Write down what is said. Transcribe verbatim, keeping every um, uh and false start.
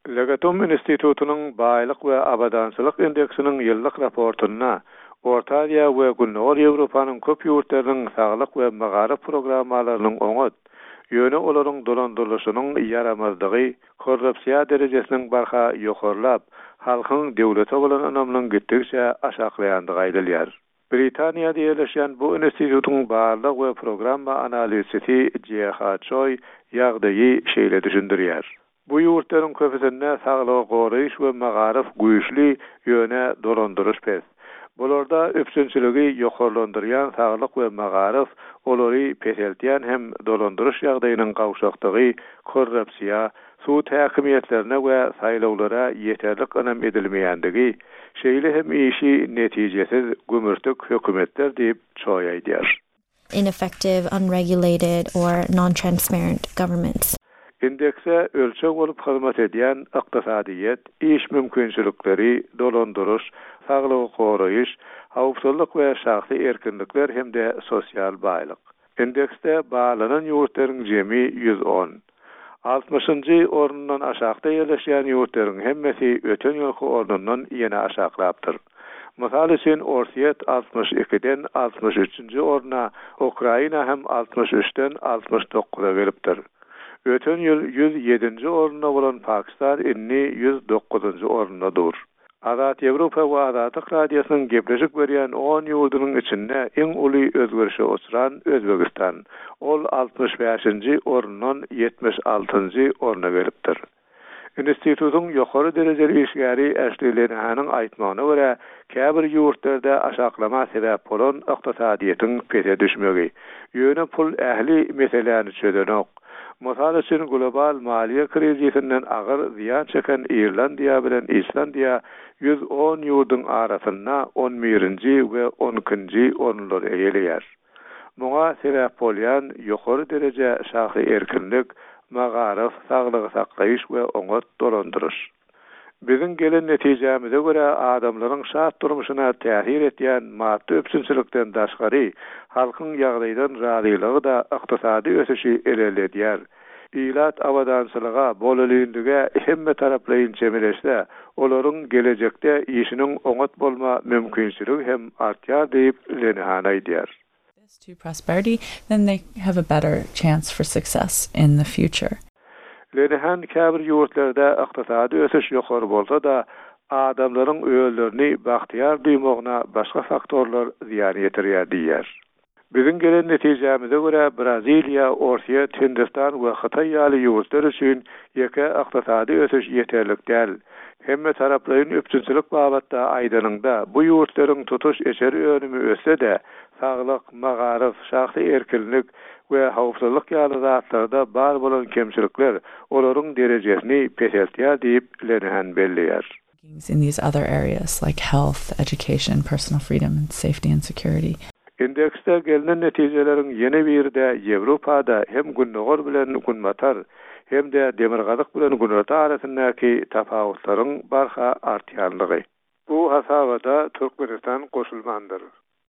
Legatum institutynyň baýlyk we abadançylyk indeksiniň ýyllyk raportynda Orta Aziýa we Gündogar Ýewropanyň köp ýurtlarynyň saglyk we magaryf programmalarynyň oňat, ýöne olaryň dolandyrylyşynyň ýaramazdygy, korrupsiýa derejesiniň barha ýokarlap, halkyň döwlete bolan ynamynyň gitdikçe aşaklaýandygy aýdylýar. Britaniýada ýerleşýän bu institutyň barlag we programma analizçisi J.H. Choi ýagdaýy şeýle düşündirýär. Bu ýurtlaryň köpüsinde saglygy goraýyş we magaryf güýçli, ýöne dolandyryş pes. Bularda üpjünçiligi ýokarlandyrýan saglyk we magaryf olary peseltýän hem dolandyryş ýagdaýynyň gawşakdygy, korrupsiýa, sud häkimiýetlerine we saýlawlara ýeterlik ynam edilmeýändigi, şeýle hem işi netijesiz gümürtik hökümetler diýip Choi aýdýar. ineffective, unregulated, or non-transparent governments. Indekse ölçeg bolup hyzmat edýän ykdysadyýet, iş mümkinçilikleri, dolandyryş, saglygy goraýyş, howpsuzlyk we şahsy erkinlikler hem-de sosial baýlyk. Indeksde barlanan ýurtlaryň jemi ýüz on. Altmyşynjy ornundan aşakda ýerleşýän ýurtlaryň hemmesi öten ýylky ornundan ýene aşaklapdyr. Mysal üçin Orsýet altmyş ikiden altmyş üçünji orna, Ukraina hem altmyş üçden altmyş dokuza gelipdir. Öten ýyl ýüz ýedinji orunda bolan Pakistan indi ýüz dokuzynjy orunda dur. Azat Ýewropa we Azatlyk Radiosynyň gepleşik berýän on ýurdunyň içinde iň uly özgerişe uçran Özbegistan. Ol altmyş bäşinji orundan ýetmiş altynjy orna gelipdir. Institutyň ýokary derejeli işgäri Ashley Lenihanyň aýtmagyna görä, käbir ýurtlarda aşaklama sebäp bolan ykdysadyýetiň pese düşmegi. Ýöne pul ähli meseläni çözenok. Mysal üçin global maliýe krizisinden agyr zyýan çeken Irlandiýa bilen Islandiýa ýüz on ýurduň arasynda on birinji we on ikinji orunlary eýeleýär. Muňa sebäp bolýan ýokary dereje şahsy erkinlik, magaryf, saglygy saklaýyş we oňat dolandyryş. Biziň gelen netijämize görä adamlaryň şat durmuşyna täsir etýän maddy üpjünçilikden daşgary halkyň ýagdaýdan razylygy da ykdysady ösüşi ilerledýär. Ilat abadançylyga, bolelinlige hemme taraplaýyn çemeleşse, olaryň gelejekde işiniň oňat bolma mümkinçiligi hem artýar diýip Lenihan aýdýar. To prosperity, then they have a better chance for success in the future. Lenihan käbir ýurtlarda ykdysady ösüş ýokary bolsa-da, adamlaryň özlerini bagtyýar duýmagyna başga faktorlar zyýan ýetirýär diýýär. Biziň gelen netijämize görä Braziliýa, Orsýet, Hindistan we Hytaý ýaly ýurtlar üçin ýeke ykdysady ösüş ýeterlik däl. Hemme taraplaýyn üpjünçilik babatda aýdanyňda bu ýurtlaryň tutuş içeri önümi össe-de, saglyk, magaryf, şahsy erkinlik we howpsuzlyk ýaly zatlarda bar bolan kemçilikler olaryň derejesini peseltýär diýip Lenihan belleýär. In these other areas like health, education, personal freedom and safety and security. Indeksde gelinen netijeleriň ýene biri-de Ýewropada hem Gündogar bilen Günbatar hem-de Demirgazyk bilen Günorta arasyndaky tapawutlaryň barha artýanlygy. Bu hasabada Türkmenistan goşulmandyr.